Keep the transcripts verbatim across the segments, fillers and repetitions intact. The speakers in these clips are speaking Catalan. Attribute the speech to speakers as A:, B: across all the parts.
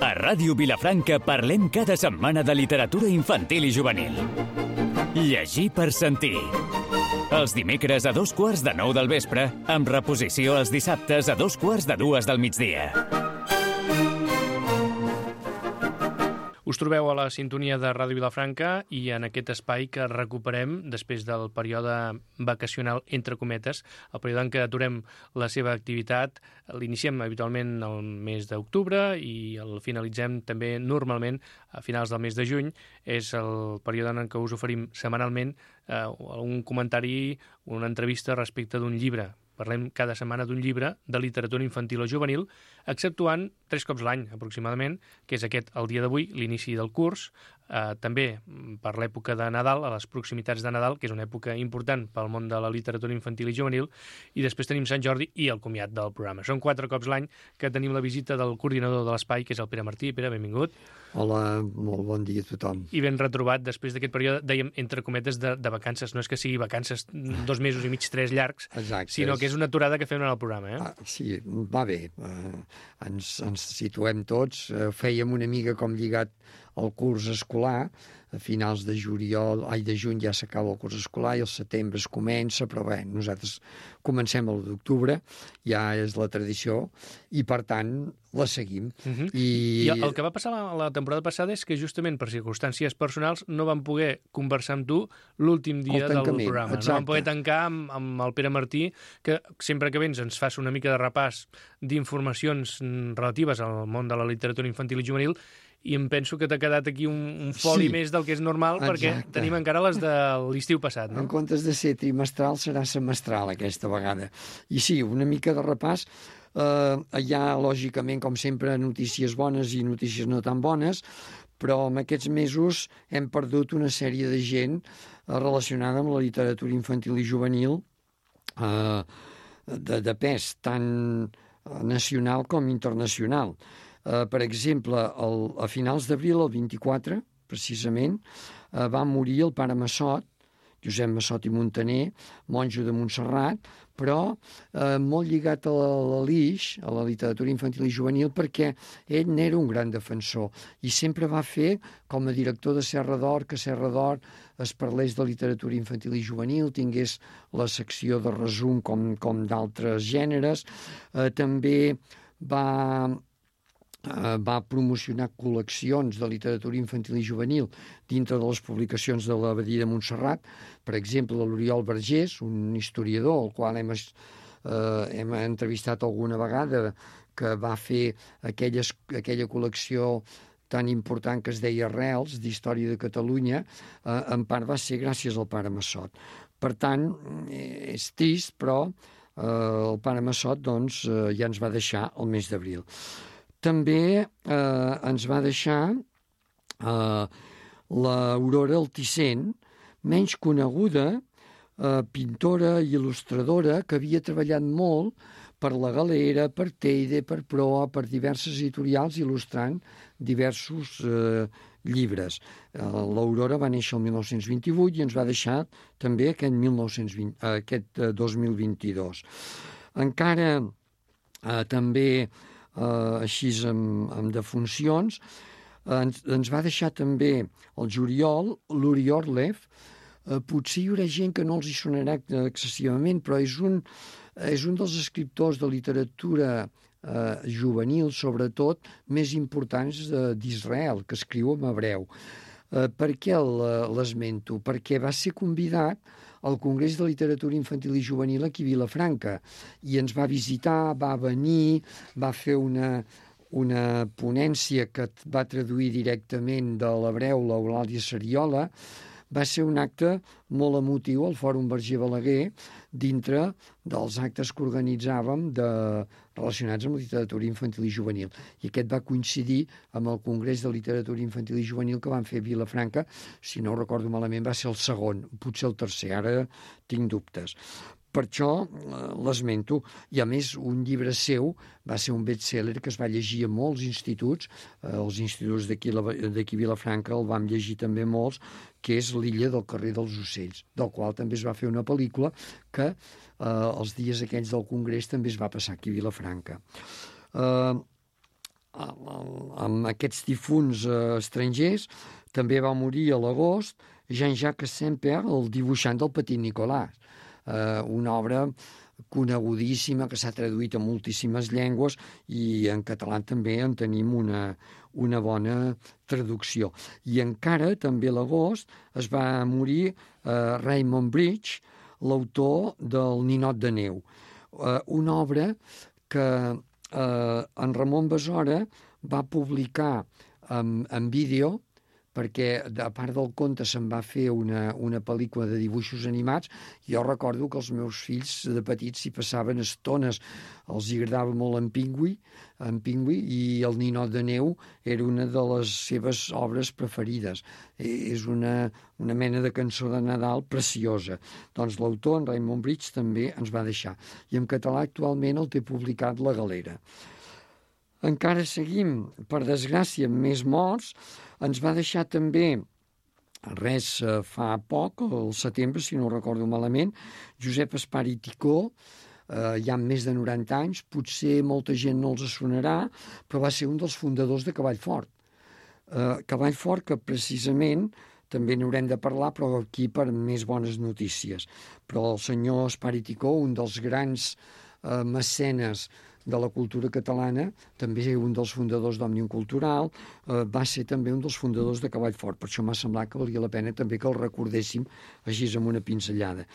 A: A Ràdio Vilafranca parlem cada setmana de literatura infantil i juvenil. Llegir per sentir. Els dimecres a dos quarts de nou del vespre, amb reposició els dissabtes a dos quarts de dues del migdia.
B: Us trobeu a la sintonia de Ràdio Vilafranca i en aquest espai que recuperem després del període vacacional, entre cometes, el període en què aturem la seva activitat. L'iniciem habitualment el mes d'octubre i el finalitzem també normalment a finals del mes de juny. És el període en què us oferim setmanalment eh, un comentari, una entrevista respecte d'un llibre. Parlem cada setmana d'un llibre de literatura infantil o juvenil, exceptuant tres cops l'any, aproximadament, que és aquest, el dia d'avui, l'inici del curs, eh, també per l'època de Nadal, a les proximitats de Nadal, que és una època important pel món de la literatura infantil i juvenil, i després tenim Sant Jordi i el comiat del programa. Són quatre cops l'any que tenim la visita del coordinador de l'espai, que és el Pere Martí. Pere, benvingut.
C: Hola, molt bon dia a tothom.
B: I ben retrobat després d'aquest període, dèiem, entre cometes, de, de vacances. No és que sigui vacances dos mesos i mig, tres llargs,
C: Exacte,
B: sinó que és una aturada que fem en el programa. Eh?
C: Ah, sí, va bé. Uh, ens, ens situem tots. Uh, fèiem una mica com lligat al curs escolar. A finals de juliol, ai, de juny ja s'acaba el curs escolar i el setembre es comença, però bé, nosaltres comencem a l'u d'octubre, ja és la tradició, i per tant la seguim.
B: Uh-huh.
C: I...
B: I el que va passar la, la temporada passada és que justament per circumstàncies personals no vam poder conversar amb tu l'últim dia del programa.
C: Exacte.
B: No vam poder tancar amb, amb el Pere Martí, que sempre que vens ens fas una mica de repàs d'informacions relatives al món de la literatura infantil i juvenil, i em penso que t'ha quedat aquí un, un foli sí, més del que és normal, exacte, perquè tenim encara les de l'estiu passat. No?
C: En comptes de ser trimestral, serà semestral aquesta vegada. I sí, una mica de repàs. Uh, hi ha, lògicament, com sempre, notícies bones i notícies no tan bones, però en aquests mesos hem perdut una sèrie de gent uh, relacionada amb la literatura infantil i juvenil uh, de, de pes, tant nacional com internacional. Uh, per exemple, el, a finals d'abril, el vint-i-quatre, precisament, uh, va morir el pare Massot, Josep Massot i Montaner, monjo de Montserrat, però eh, molt lligat a l'Alix, a la literatura infantil i juvenil, perquè ell n'era un gran defensor i sempre va fer, com a director de Serra d'Or, que Serra d'Or es parlés de literatura infantil i juvenil, tingués la secció de resum com, com d'altres gèneres. Eh, també va... va promocionar col·leccions de literatura infantil i juvenil dintre de les publicacions de l'Abadia de Montserrat. Per exemple, l'Oriol Vergés, un historiador, el qual hem, eh, hem entrevistat alguna vegada, que va fer aquelles, aquella col·lecció tan important que es deia Arrels, d'Història de Catalunya, eh, en part va ser gràcies al pare Massot. Per tant, és trist, però eh, el pare Massot doncs, eh, ja ens va deixar el mes d'abril. També eh, ens va deixar eh, l'Aurora Altisent, menys coneguda, eh, pintora i il·lustradora, que havia treballat molt per la Galera, per Teide, per Proa, per diverses editorials, il·lustrant diversos eh, llibres. Eh, L'Aurora va néixer el mil nou-cents vint-i-vuit i ens va deixar també aquest, mil nou-cents vint, eh, aquest eh, dos mil vint-i-dos. Encara eh, també... Uh, així amb, amb defuncions, uh, ens, ens va deixar també el juliol, l'Uri Orlev. Uh, potser hi haurà gent que no els hi sonarà excessivament, però és un, és un dels escriptors de literatura uh, juvenil, sobretot, més importants uh, d'Israel, que escriu en hebreu. Uh, per què l'esmento? Perquè va ser convidat al Congrés de Literatura Infantil i Juvenil aquí a Vilafranca i ens va visitar, va venir, va fer una, una ponència que va traduir directament de l'hebreu l'Eulàlia Sariola. Va ser un acte molt emotiu al Fòrum Verger Balaguer dintre dels actes que organitzàvem de, relacionats amb la literatura infantil i juvenil. I aquest va coincidir amb el Congrés de Literatura Infantil i Juvenil que van fer a Vilafranca. Si no ho recordo malament, va ser el segon, potser el tercer, ara tinc dubtes. Per això eh, l'esmento. I a més, un llibre seu va ser un best-seller que es va llegir a molts instituts, eh, els instituts d'aquí a Vilafranca el vam llegir també molts, que és L'illa del carrer dels ocells, del qual també es va fer una pel·lícula que eh, els dies aquells del Congrés també es va passar aquí a Vilafranca. Eh, amb aquests difunts uh, estrangers, també va morir a l'agost Jean-Jacques Semper, el dibuixant del Petit Nicolas, uh, una obra conegudíssima que s'ha traduït a moltíssimes llengües i en català també en tenim una, una bona traducció. I encara, també a l'agost, es va morir uh, Raymond Bridge, l'autor del Ninot de neu, uh, una obra que uh, en Ramon Besora va publicar en, en vídeo, perquè a part del conte se'n va fer una, una pel·lícula de dibuixos animats. Jo recordo que els meus fills de petits s'hi passaven estones, els agradava molt en Pingüí, en Pingüí, i el Ninot de neu era una de les seves obres preferides. És una, una mena de cançó de Nadal preciosa. Doncs l'autor, en Raymond Bridge, també ens va deixar. I en català actualment el té publicat La Galera. Encara seguim, per desgràcia, amb més morts. Ens va deixar també, res fa poc, al setembre, si no ho recordo malament, Josep Espar i Ticó, eh, ja amb més de noranta anys, potser molta gent no els sonarà, però va ser un dels fundadors de Cavallfort. Eh, Cavallfort, que precisament també n'haurem de parlar, però aquí per més bones notícies. Però el senyor Espar i Ticó, un dels grans eh, mecenes de la cultura catalana, també un dels fundadors d'Òmnium Cultural, eh, va ser també un dels fundadors de Cavallfort. Per això m'ha semblat que valia la pena també que el recordéssim així amb una pinzellada.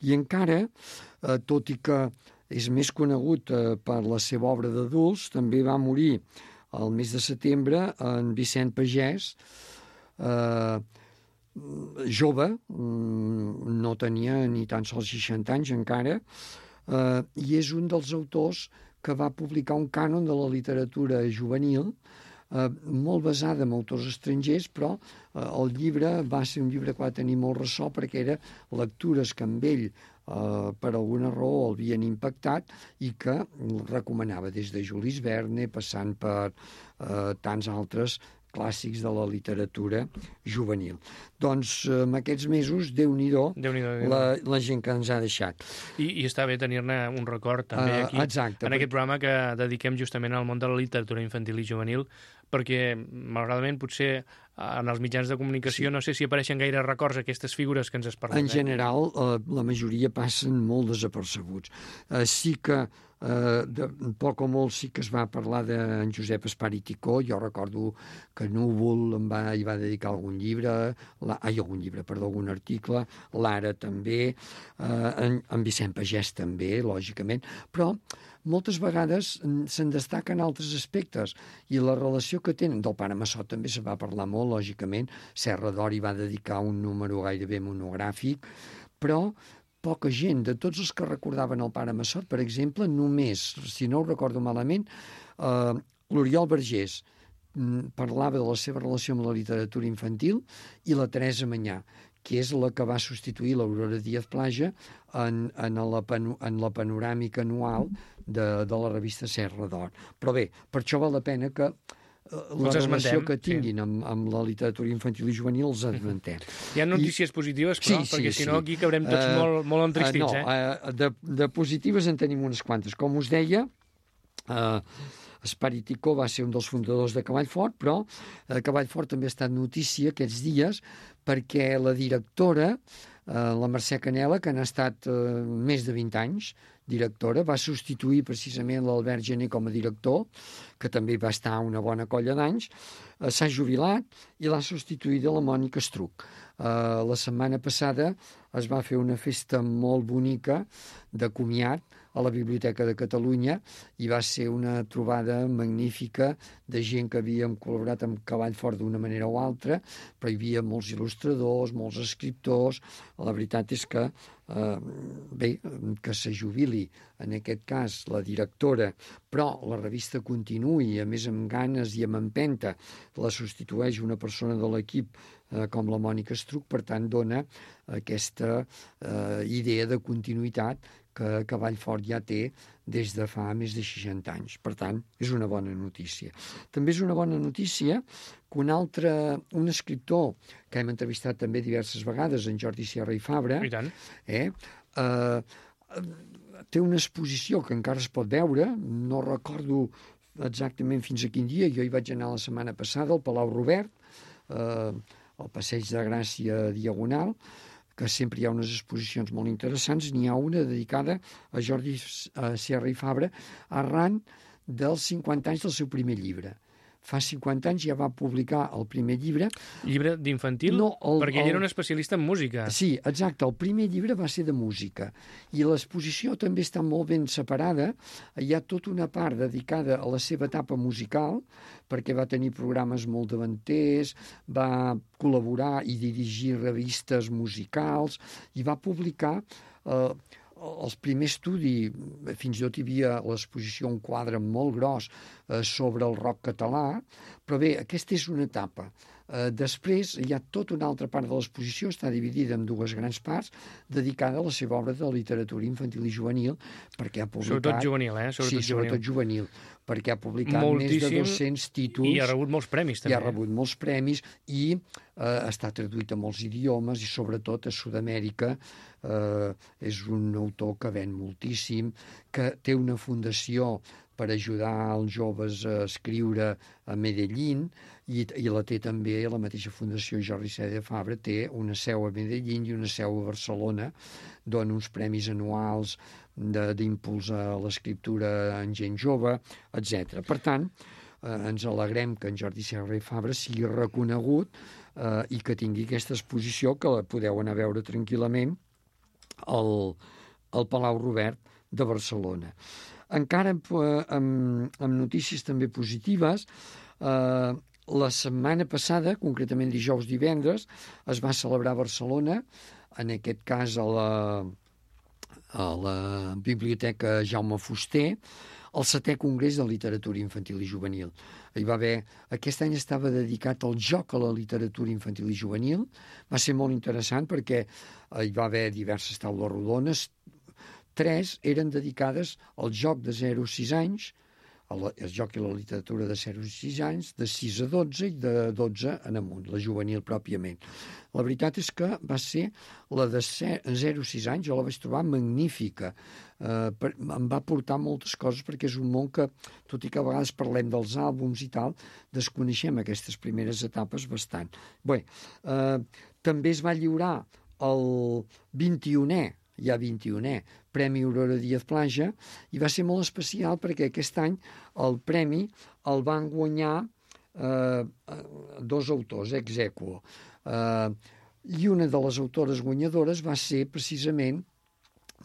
C: I encara, eh, tot i que és més conegut eh, per la seva obra d'adults, també va morir el mes de setembre en Vicent Pagès, eh, jove, no tenia ni tan sols seixanta anys encara, eh, i és un dels autors que va publicar un cànon de la literatura juvenil, eh, molt basada en autors estrangers, però eh, el llibre va ser un llibre que va tenir molt ressò perquè era lectures que amb ell, eh, per alguna raó, el havien impactat i que recomanava des de Jules Verne, passant per eh, tants altres clàssics de la literatura juvenil. Doncs en aquests mesos, Déu-n'hi-do,
B: Déu-n'hi-do,
C: la, la gent que ens ha deixat.
B: I, i està bé tenir-ne un record també aquí,
C: uh, exacte,
B: en aquest programa que dediquem justament al món de la literatura infantil i juvenil, perquè, malauradament, potser en els mitjans de comunicació sí. No sé si apareixen gaire records aquestes figures que ens es parlen.
C: En general, eh, la majoria passen molt desapercebuts. Eh, sí que Uh, de poc o molt sí que es va parlar d'en Josep Espar i Ticó. Jo recordo que Núvol em va, hi va dedicar algun llibre, la, ai, algun llibre, perdó, algun article, l'Ara també, uh, en, en Vicent Pagès també, lògicament, però moltes vegades se'n destaquen altres aspectes i la relació que tenen del Pare Massot també se va parlar molt, lògicament. Serra d'Or hi va dedicar un número gairebé monogràfic, però poca gent. De tots els que recordaven el Pare Massot, per exemple, només, si no ho recordo malament, eh, l'Oriol Vergés parlava de la seva relació amb la literatura infantil i la Teresa Manyà, que és la que va substituir l'Aurora Díaz Plaja en, en, la, en la panoràmica anual de, de la revista Serra d'Or. Però bé, per això val la pena que la relació que tinguin sí. amb, amb la literatura infantil i juvenil els esmentem.
B: Hi ha notícies I... positives, però, sí, perquè sí, si no aquí cabrem tots uh, molt, molt entristits. Uh, no,
C: eh? uh, de, de positives en tenim unes quantes. Com us deia, uh, Espar i Ticó va ser un dels fundadors de Cavallfort, però uh, Cavallfort també ha estat notícia aquests dies perquè la directora, uh, la Mercè Canela, que n'ha estat uh, més de vint anys, directora, va substituir precisament l'Albert Gené com a director, que també va estar una bona colla d'anys, eh, s'ha jubilat i l'ha substituïda la Mònica Estruc. Eh, la setmana passada es va fer una festa molt bonica de comiat a la Biblioteca de Catalunya i va ser una trobada magnífica de gent que havíem col·laborat amb Cavallfort d'una manera o altra, però hi havia molts il·lustradors, molts escriptors. La veritat és que eh, bé, que se jubili en aquest cas la directora, però la revista continuï, a més amb ganes i amb empenta, la substitueix una persona de l'equip eh, com la Mònica Estruc, per tant dona aquesta eh, idea de continuïtat que Cavallfort ja té des de fa més de seixanta anys. Per tant, és una bona notícia. També és una bona notícia que un altre, un escriptor que hem entrevistat també diverses vegades, en Jordi Sierra i Fabra,
B: I tant.
C: Eh, eh, té una exposició que encara es pot veure, no recordo exactament fins a quin dia. Jo hi vaig anar la setmana passada al Palau Robert, eh, al Passeig de Gràcia Diagonal, que sempre hi ha unes exposicions molt interessants. N'hi ha una dedicada a Jordi Serra i Fabra arran dels cinquanta anys del seu primer llibre. Fa cinquanta anys ja va publicar el primer llibre.
B: Llibre d'infantil?
C: No, el,
B: perquè ell
C: el...
B: era un especialista en música.
C: Sí, exacte. El primer llibre va ser de música. I l'exposició també està molt ben separada. Hi ha tota una part dedicada a la seva etapa musical, perquè va tenir programes molt davanters, va col·laborar i dirigir revistes musicals, i va publicar... Eh, els primers estudis, fins i tot hi havia a l'exposició un quadre molt gros eh, sobre el rock català, però bé, aquesta és una etapa. Eh, després hi ha tota una altra part de l'exposició, està dividida en dues grans parts, dedicada a la seva obra de literatura infantil i juvenil, perquè ha publicat...
B: Sobretot juvenil, eh? Sobretot
C: sí, sobretot juvenil, perquè ha publicat
B: moltíssim,
C: més de dos-cents títols.
B: I ha rebut molts premis, també.
C: I ha rebut molts premis, i eh, està traduït a molts idiomes, i sobretot a Sud-amèrica. Eh, és un autor que ven moltíssim, que té una fundació per ajudar els joves a escriure a Medellín, i, i la té també la mateixa fundació Jordi Serra i Fabra, té una seu a Medellín i una seu a Barcelona, dona uns premis anuals d'impuls a l'escriptura en gent jove, etcètera. Per tant, eh, ens alegrem que en Jordi Serra i Fabra sigui reconegut eh, i que tingui aquesta exposició, que la podeu anar a veure tranquil·lament al, al Palau Robert de Barcelona. Encara amb, amb, amb notícies també positives, eh, la setmana passada, concretament dijous divendres, es va celebrar a Barcelona, en aquest cas a la, a la Biblioteca Jaume Fuster, el setè Congrés de Literatura Infantil i Juvenil. Hi va haver, aquest any estava dedicat al joc a la literatura infantil i juvenil. Va ser molt interessant perquè hi va haver diverses taules rodones. Tres eren dedicades al joc de zero a sis anys, el joc i la literatura de zero a sis anys, de sis a dotze i de dotze en amunt, la juvenil pròpiament. La veritat és que va ser la de zero a sis anys, jo la vaig trobar magnífica. Eh, per, em va portar moltes coses perquè és un món que, tot i que a vegades parlem dels àlbums i tal, desconeixem aquestes primeres etapes bastant. Bé, eh, també es va lliurar el vint-i-unè, ja vint-i-unè, Premi Aurora Díaz Plaja, i va ser molt especial perquè aquest any el premi el van guanyar eh, dos autors ex aequo. Eh, I una de les autores guanyadores va ser precisament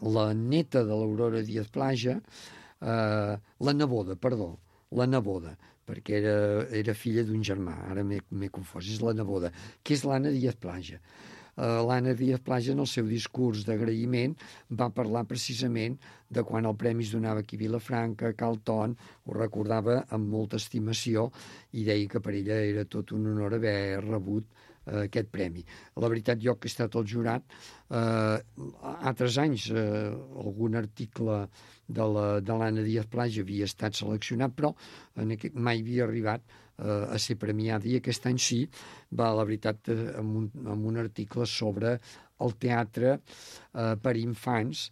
C: la neta de l'Aurora Díaz Plaja, eh, la neboda, perdó, la neboda, perquè era, era filla d'un germà, ara m'he confós, és la neboda, que és l'Anna Díaz Plaja. Uh, L'Anna Díaz Plaja, en el seu discurs d'agraïment, va parlar precisament de quan el premi es donava aquí a Vilafranca, a Calton, ho recordava amb molta estimació i deia que per ella era tot un honor haver rebut uh, aquest premi. La veritat, jo que he estat al jurat, uh, altres anys uh, algun article de l'Anna Díaz Plaja havia estat seleccionat, però en aquest, mai havia arribat a ser premiada, i aquest any sí, va, la veritat, amb un, amb un article sobre el teatre eh, per infants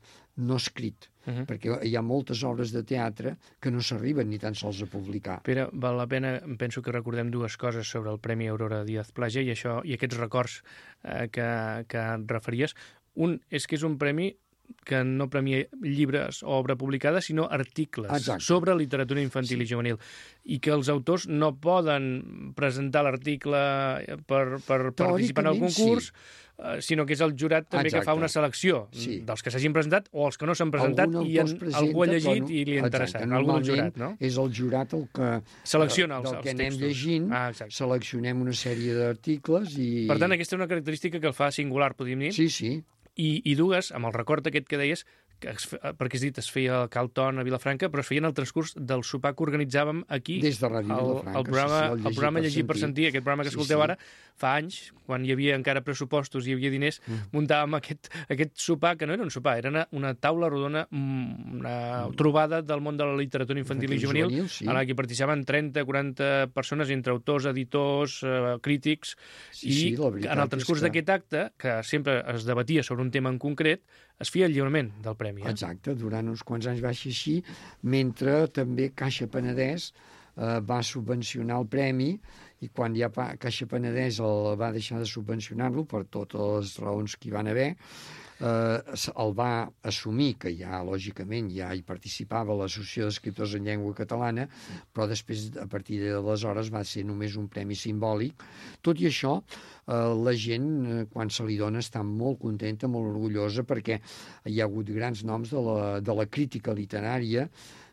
C: no escrit, uh -huh. perquè hi ha moltes obres de teatre que no s'arriben ni tan sols a publicar.
B: Pere, val la pena, penso que recordem dues coses sobre el Premi Aurora Díaz Plaja i això i aquests records eh, que, que et referies. Un és que és un premi que no premia llibres o obra publicada, sinó articles
C: Exacte.
B: sobre literatura infantil sí. i juvenil, i que els autors no poden presentar l'article per, per participar en el concurs, sí. eh, sinó que és el jurat també Exacte. que fa una selecció sí. dels que s'hagin presentat o els que no s'han presentat i en, presenta, algú ha llegit no, i li ha interessat. Algú del jurat, no?
C: És el jurat el que
B: selecciona els,
C: del
B: els
C: que
B: textos.
C: anem llegint,
B: ah,
C: seleccionem una sèrie d'articles i...
B: Per tant, aquesta és una característica que el fa singular, podríem dir.
C: Sí, sí.
B: I, i dues, amb el record aquest que deies, que es, perquè has dit, es feia al Calton a Vilafranca, però es feia en el transcurs del sopar que organitzàvem aquí.
C: Des de Ràdio Vilafranca.
B: El, el programa,
C: sí, sí, el
B: el programa Llegir per sentir, aquest programa que
C: sí,
B: escolteu
C: sí.
B: ara, fa anys, quan hi havia encara pressupostos i hi havia diners, mm. muntàvem aquest, aquest sopar, que no era un sopar, era una, una taula rodona, una trobada del món de la literatura infantil i juvenil, juvenil sí. en la que participaven trenta quaranta persones, entre autors, editors, eh, crítics,
C: sí,
B: i
C: sí,
B: en el transcurs que... d'aquest acte, que sempre es debatia sobre un tema en concret, es feia el lliurament del premi. Eh?
C: Exacte, durant uns quants anys va ser així, mentre també Caixa Penedès eh, va subvencionar el premi, i quan ja Caixa Penedès el va deixar de subvencionar-lo per totes les raons que hi van haver, eh, el va assumir, que ja, lògicament, ja hi participava l'Associació d'Escriptors en Llengua Catalana, però després, a partir d'aleshores, va ser només un premi simbòlic. Tot i això, eh, la gent, eh, quan se li dona, està molt contenta, molt orgullosa, perquè hi ha hagut grans noms de la, de la crítica literària,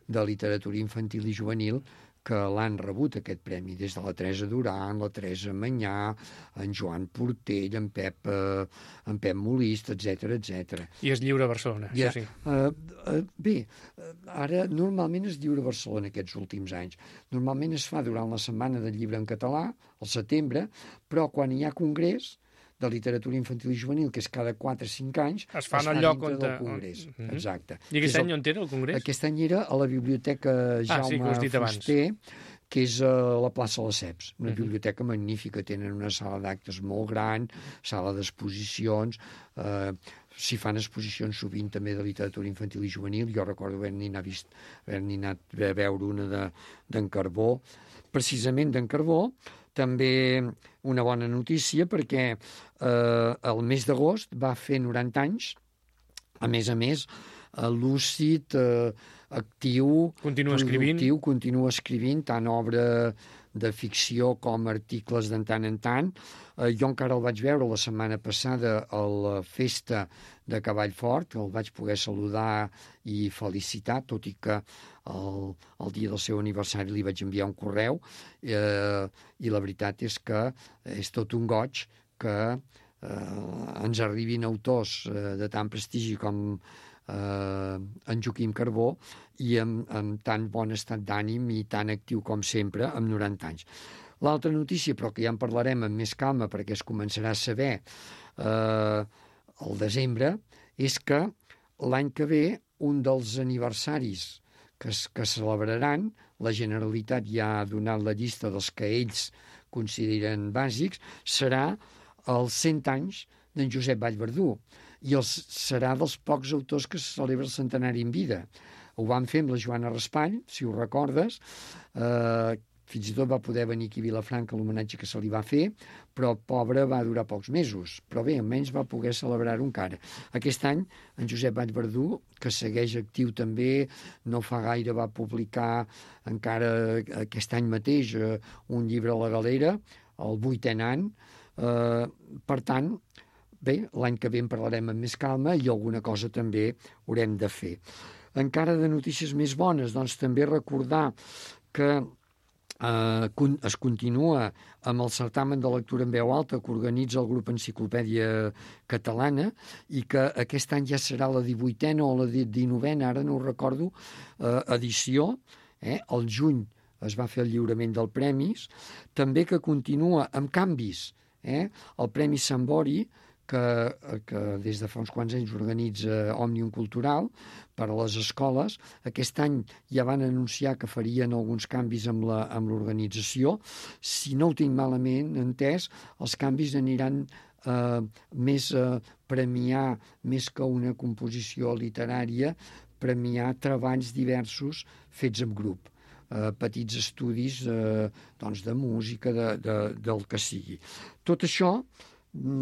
C: de literatura infantil i juvenil, que l'han rebut, aquest premi, des de la Teresa Duran, la Teresa Manyà, en Joan Portell, en Pep, eh, en Pep Molist, etcètera, etcètera.
B: I es lliura a Barcelona,
C: ja,
B: això sí.
C: Uh, uh, bé, ara normalment es lliura a Barcelona aquests últims anys. Normalment es fa durant la Setmana del Llibre en Català, al setembre, però quan hi ha congrés de literatura infantil i juvenil, que és cada quatre o cinc anys,
B: es fa en el lloc on...
C: del congrés.
B: Uh -huh.
C: Exacte.
B: I aquest any on era el congrés?
C: Aquest any era a la Biblioteca Jaume
B: ah, sí, que
C: Fuster, que és a la plaça Lesseps, una uh -huh. biblioteca magnífica, tenen una sala d'actes molt gran, sala d'exposicions, eh, s'hi fan exposicions sovint també de literatura infantil i juvenil. Jo recordo haver-n'hi anat, haver anat a veure una d'en Carbó, precisament d'en Carbó. També una bona notícia, perquè eh, el mes d'agost va fer noranta anys, a més a més, eh, lúcid, eh, actiu,
B: continua escrivint.
C: productiu, continua escrivint, tant obra de ficció com articles de tant en tant. Eh, jo encara el vaig veure la setmana passada a la festa de Cavall Fort, el vaig poder saludar i felicitar, tot i que el, el dia del seu aniversari li vaig enviar un correu, eh, i la veritat és que és tot un goig que eh, ens arribin autors eh, de tant prestigi com eh, en Joaquim Carbó, i amb, amb tan bon estat d'ànim i tan actiu com sempre, amb noranta anys. L'altra notícia, però que ja en parlarem amb més calma perquè es començarà a saber eh, al desembre, és que l'any que ve un dels aniversaris que es, que celebraran, la Generalitat ja ha donat la llista dels que ells consideren bàsics, serà els cent anys d'en Josep Vallverdú, i els, serà dels pocs autors que se celebra el centenari en vida. Ho van fer amb la Joana Raspall, si ho recordes, eh, fins i tot va poder venir aquí a Vilafranca l'homenatge que se li va fer, però pobre va durar pocs mesos, però bé, almenys va poder celebrar-ho encara. Aquest any, en Josep Vallverdú, que segueix actiu també, no fa gaire va publicar encara aquest any mateix eh, un llibre a la Galera, el vuitè any, eh, per tant, bé, l'any que ve en parlarem amb més calma i alguna cosa també haurem de fer. Encara de notícies més bones, doncs també recordar que eh, es continua amb el certamen de lectura en veu alta que organitza el grup Enciclopèdia Catalana, i que aquest any ja serà la divuitena o la dinovena, ara no ho recordo, eh, edició, eh? Al juny es va fer el lliurament dels premis, també que continua amb canvis, eh? El Premi Sant Bori, que, que des de fa uns quants anys organitza Òmnium Cultural per a les escoles. Aquest any ja van anunciar que farien alguns canvis amb la, amb l'organització. Si no ho tinc malament entès, els canvis aniran eh, més a premiar, més que una composició literària, premiar treballs diversos fets en grup. Eh, petits estudis eh, doncs de música, de, de, del que sigui. Tot això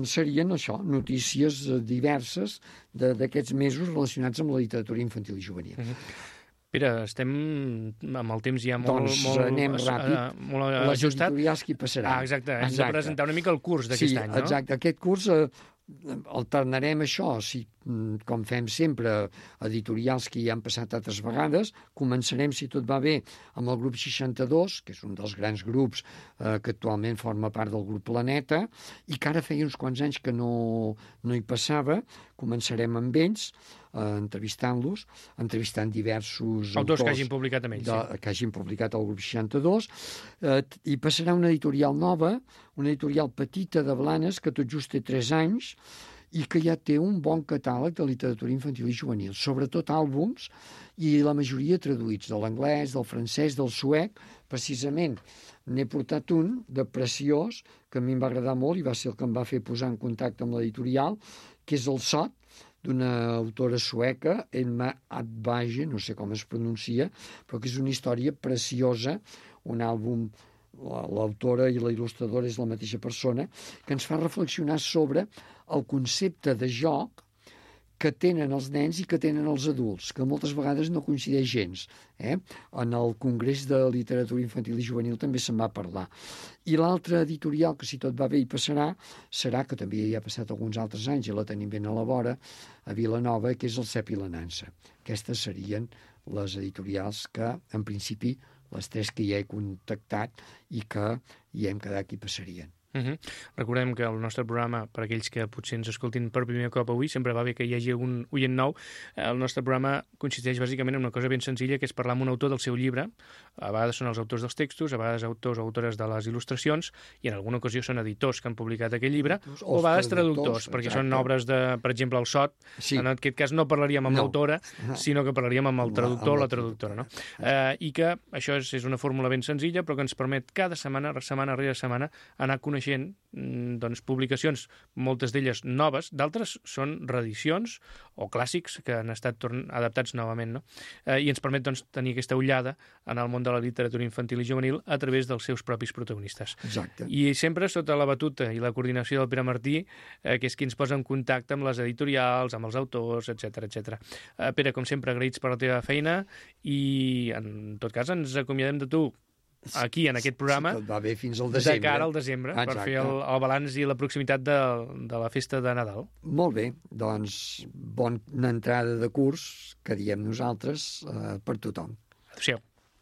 C: serien això, notícies diverses d'aquests mesos relacionats amb la literatura infantil i juvenil.
B: Uh-huh. Pere, estem amb el temps ja molt,
C: doncs
B: molt,
C: anem ràpid.
B: Uh, molt
C: les
B: ajustat.
C: editorials que hi passaran.
B: Ah, exacte, hem exacte. de presentar una mica el curs d'aquest
C: sí,
B: any, no?
C: Exacte, aquest curs eh, alternarem això, si, com fem sempre, editorials que ja han passat altres vegades. Començarem, si tot va bé, amb el grup seixanta-dos, que és un dels grans grups eh, que actualment forma part del grup Planeta, i que ara feia uns quants anys que no, no hi passava. Començarem amb ells, eh, entrevistant-los, entrevistant diversos
B: autors que hagin publicat amb ells,
C: de,
B: sí.
C: que hagin publicat al grup seixanta-dos, eh, i passarà una editorial nova, una editorial petita de Blanes, que tot just té tres anys, i que ja té un bon catàleg de literatura infantil i juvenil, sobretot àlbums, i la majoria traduïts de l'anglès, del francès, del suec. Precisament n'he portat un de preciós, que a mi em va agradar molt i va ser el que em va fer posar en contacte amb l'editorial, que és el Sot, d'una autora sueca, Emma Adbage, no sé com es pronuncia, però que és una història preciosa, un àlbum, l'autora i la il·lustradora és la mateixa persona, que ens fa reflexionar sobre el concepte de joc que tenen els nens i que tenen els adults, que moltes vegades no coincideix gens. Eh? En el Congrés de Literatura Infantil i Juvenil també se'n va parlar. I l'altre editorial, que si tot va bé hi passarà, serà, que també hi ha passat alguns altres anys i la tenim ben a la vora, a Vilanova, que és el Cep i la Nansa. Aquestes serien les editorials que, en principi, les tres que ja he contactat i que hi hem quedat que hi passarien.
B: Uh-huh. Recordem que el nostre programa, per aquells que potser ens escoltin per primer cop avui, sempre va bé que hi hagi algun oient nou. El nostre programa consisteix bàsicament en una cosa ben senzilla, que és parlar amb un autor del seu llibre. A vegades són els autors dels textos, a vegades autors o autores de les il·lustracions, i en alguna ocasió són editors que han publicat aquell llibre, o a vegades traductors, perquè exacte. Són obres de, per exemple, el Sot. Sí. En aquest cas no parlaríem amb no. l'autora, sinó que parlaríem amb el traductor o la traductora. No? Eh, I que això és, és una fórmula ben senzilla, però que ens permet cada setmana, setmana rere setmana, anar coneixent doncs, publicacions, moltes d'elles noves, d'altres són reedicions o clàssics que han estat adaptats novament, no? Eh, i ens permet doncs, tenir aquesta ullada en el món de la literatura infantil i juvenil a través dels seus propis protagonistes.
C: Exacte.
B: I sempre sota la batuta i la coordinació del Pere Martí, eh, que és qui ens posa en contacte amb les editorials, amb els autors, etcètera etcètera. Eh, Pere, com sempre, agraïts per la teva feina i, en tot cas, ens acomiadem de tu aquí, en aquest programa,
C: si tot va bé, fins al desembre.
B: De cara al desembre, exacte. Per fer el, el balanç i la proximitat de, de la festa de Nadal.
C: Molt bé, doncs bona entrada de curs, que diem nosaltres, eh, per tothom.
B: Adéu-siau.